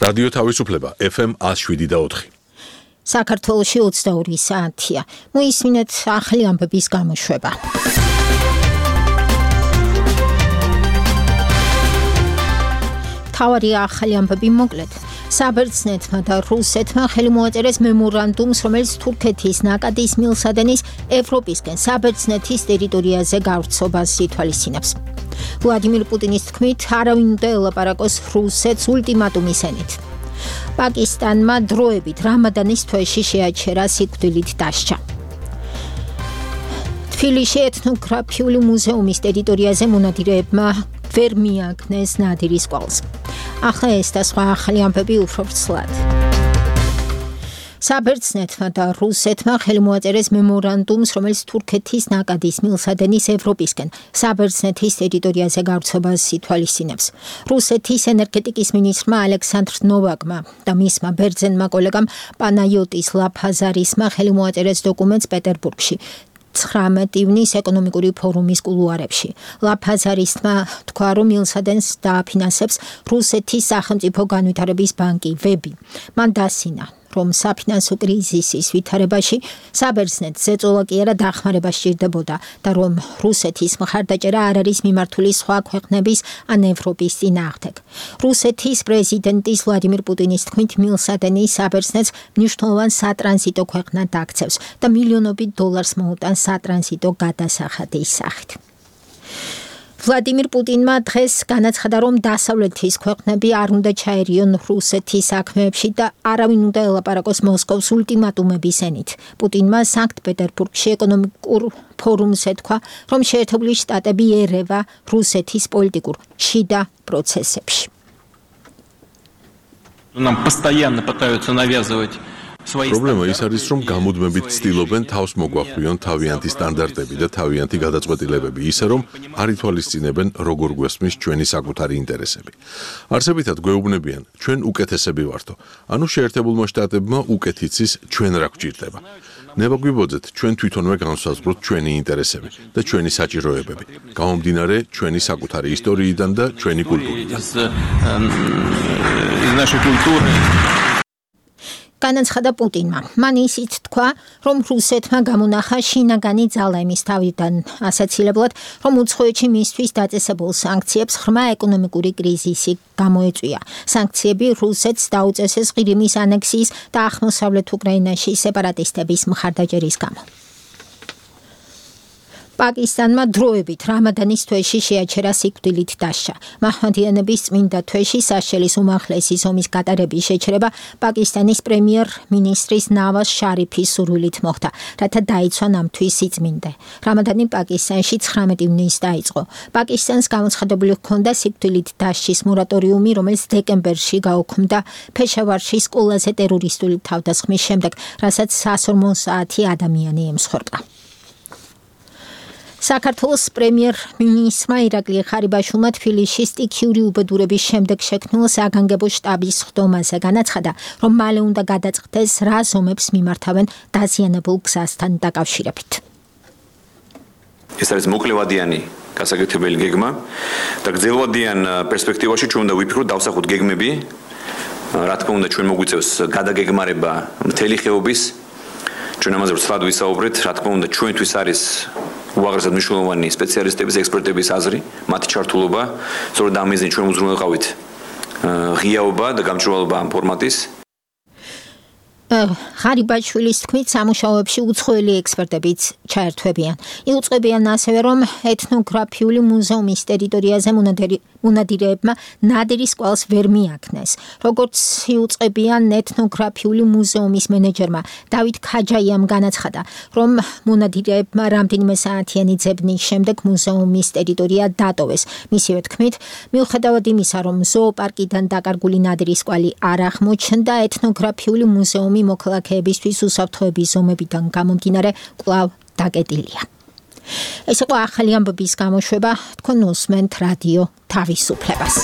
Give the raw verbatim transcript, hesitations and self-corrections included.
რადიო თავისუფლება F M one oh seven და four. საქართველოში ოცდაორი საათია. მოისმინეთ ახალი ამბების გამოშვება. თავარი ახალი ამბები მოკლედ. საბერძნეთმა და რუსეთმა ხელი მოაწერეს მემორანდუმს, რომელიც თურქეთის ნაკადის მილსადენის ევროპისკენ საბერძნეთის ტერიტორიაზე გავრცობას ითვალისწინებს. ვლადიმირ პუტინის თქმით, არავინ უნდა ელაპარაკოს რუსეთს ულტიმატუმის ენით. პაკისტანმა დროებით რამადანის თვეში შეაჩერა სიკვდილით დასჯა. თბილისში ეთნოგრაფიული მუზეუმის ტერიტორიაზე მონადირეებმა ვერ მიაგნეს ნადირის კვალს. ახლა ეს და სხვა ახალი ამბები უფრო ვრცლად. საბერძნეთმა და რუსეთმა ხელი მოაწერეს მემორანდუმს, რომელიც თურქეთის ნაკადის მილსადენის ევროპისკენ საბერძნეთის ტერიტორიაზე გავრცობას ითვალისწინებს. რუსეთის ენერგეტიკის მინისტრმა ალექსანდრ ნოვაკმა და მისმა ბერძენმა კოლეგამ პანაიოტის ლაფაზარისმა ხელი მოაწერეს დოკუმენტს პეტერბურგში. ცხრამეტი ივნის ეკონომიკური ფორუმის კულუარებში. ლაფაზარისმა თქვა, რომ მილსადენს დააფინანსებს რუსეთის სახელმწიფო განვითარების ბანკი ვები. მან დასინა, რომ საფინანსო კრიზისის ვითარებაში საბერძნეთს ზეწოლა კი არა დახმარება სჭირდებოდა და რომ რუსეთის მხარდაჭერა არ არის მიმართული სხვა ქვეყნების ან ევროპის წინააღმდეგ. რუსეთის პრეზიდენტის ვლადიმირ პუტინის თქმით, მილსადენი საბერძნეთს მნიშვნელოვან სატრანზიტო ქვეყნად აქცევს და მილიონობით დოლარს მოუტანს სატრანზიტო გადასახადის სახით. ვლადიმირ პუტინმა დღეს განაცხადა, რომ დასავლეთის ქვეყნები არ უნდა ჩაერიონ რუსეთის საქმეებში და არავინ უნდა ელაპარაკოს მოსკოვს ულტიმატუმების ენით. პუტინმა სანქტ-პეტერბურგში ეკონომიკურ ფორუმზე თქვა, რომ შეერთებული შტატები ერევა რუსეთის პოლიტიკურ შიდა პროცესებში. Нам постоянно пытаются навязывать პრობლემა ის არის, რომ გამუდმებით ცდილობენ თავს მოგვახვიონ თავიანთი სტანდარტები და თავიანთი გადაწყვეტილებები, ისე რომ არ ითვალისწინებენ როგორ გვესმის ჩვენი საკუთარი ინტერესები. არსებითად გვეუბნებიან, ჩვენ უკეთესები ვართო, ანუ შეერთებულმა შტატებმა უკეთიც ის ჩვენ რა გვჭირდება. ნებაგვიბოძეთ, ჩვენ თვითონვე განსაზღვროთ ჩვენი ინტერესები და ჩვენი საჭიროებები, გამომდინარე ჩვენი საკუთარი ისტორიიდან და ჩვენი კულტურიდან. განაცხადა პუტინმა. მან ისიც თქვა, რომ რუსეთმა გამონახა შინაგანი ძალა იმის თავიდან ასაცილებლად, რომ უცხოეთში მისთვის დაწესებულ სანქციებს ღრმა ეკონომიკური კრიზისი გამოეწვია. სანქციები რუსეთს დაუწესეს ყირიმის ანექსიის და აღმოსავლეთ უკრაინაში სეპარატისტების მხარდაჭერის გამო. პაკისტანმა დროებით რამადანის თვეში შეაჩერა სიკვდილით დასჯა. მაჰმადიანების წმინდა თვეში საშელის უმაღლესი ზომის გატარების შეჩერება პაკისტანის პრემიერ-მინისტრის ნავაზ შარიფის სურვილით მოხდა, რათა დაიცვა ნამთვის სიწმინდე. რამადანი პაკისტანში ცხრამეტი ივნის დაიწყო. პაკისტანს გამოცხადებული ჰქონდა სიკვდილით დასჯის მორატორიუმი, რომელიც დეკემბერში გაუქმდა ფეშავარში სკოლაზე ტერორისტული თავდასხმის შემდეგ, რასაც სასორმო საათი ადამიანი ემსხვერპლა. საქართველოს პრემიერ-მინისტრმა ირაკლი ხარიბაშვილმა თბილისში სტიქიური უბედურების შემდეგ შექმნილ საგანგებო შტაბის ხდომაზე განაცხადა, რომ მალე უნდა გადაწყდეს რა ზომებს მიმართავენ დაზიანებულ გზასთან დაკავშირებით. ეს არის მოკლევადიანი გასაკეთებელი გეგმა და გრძელვადიან პერსპექტივაში ჩვენ უნდა ვიფიქროთ დავსახოთ გეგმები, რა თქმა უნდა ჩვენ მოგვიწევს გადაგეგმარება მთელი ხეობის, ჩვენ ამაზე ვრცლად ვისაუბრეთ, რა თქმა უნდა ჩვენთვის არის უაღრესად მნიშვნელოვანი სპეციალისტების, ექსპერტების აზრი, მათი ჩართულობა, სწორედ ამ მიზნით ჩვენ უზრუნველყავით ღიაობა და გამჭვირვალობა ამ ფორმატის. ხარიბაშვილის თქმით, სამუშაოებში უცხოელი ექსპერტებიც ჩაერთვებიან. იუწყებიან ასევე, რომ ეთნოგრაფიული მუზეუმის ტერიტორიაზე მონადირეებმა ნადირის კვალს ვერ მიაგნეს. როგორც იუწყებიან ეთნოგრაფიული მუზეუმის მენეჯერმა დავით ქაჯაიამ განაცხადა, რომ მონადირეებმა რამდენიმე საათიანი ძებნის შემდეგ მუზეუმის ტერიტორია დატოვეს. მისივე თქმით, მიუხედავად იმისა, რომ ზოოპარკიდან დაკარგული ნადირის კვალი არ აღმოჩნდა, ეთნოგრაფიული მუზეუმი მოქალაქეებისთვის უსაფრთხოების ზომებიდან გამომდინარე კვლავ დაკეტილია. ეს იყო ახალი ამბების გამოშვება, თქვენ უსმენთ რადიო თავისუფლებას.